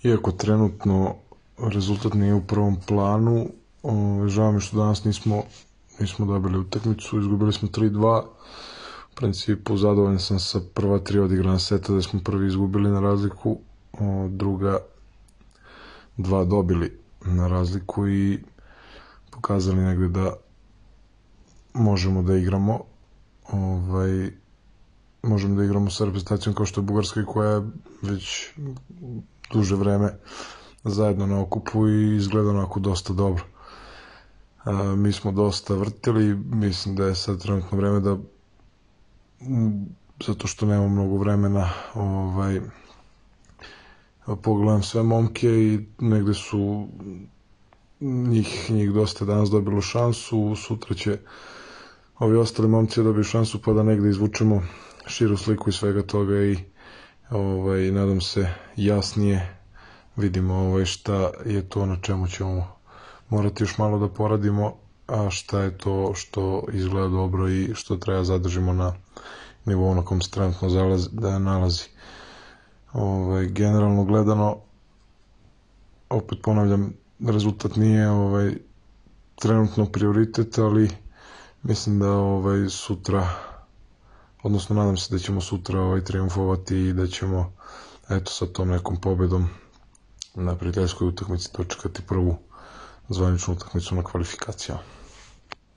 Iako trenutno rezultat nije u prvom planu, žao mi što danas nismo dobili utakmicu, izgubili smo 3-2. U principu zadovoljan sam sa prva 3 odigrana seta da smo prvi izgubili na razliku, druga 2 dobili na razliku i pokazali negde da možemo da igramo možemo da igramo sa reprezentacijom kao što je Bugarska, koja je već duže vreme zajedno na okupu i izgleda onako dosta dobro. Mi smo dosta vrtili, mislim da je sad trenutno vreme da, zato što nemamo mnogo vremena, pogledam sve momke i negde su njih dosta danas dobilo šansu, sutra će ovi ostali momci dobiju šansu pa da negde izvučemo širu sliku i svega toga i nadam se jasnije vidimo šta je to na čemu ćemo morati još malo da poradimo, a šta je to što izgleda dobro i što treba zadržimo na nivou na kom se trenutno nalazi. Generalno gledano, opet ponavljam, rezultat nije trenutno prioritet, ali mislim da sutra, odnosno nadam se da ćemo sutra triumfovati i da ćemo sa tom nekom pobedom na prijateljskoj utakmici dočekati prvu zvaničnu utakmicu na kvalifikacijama.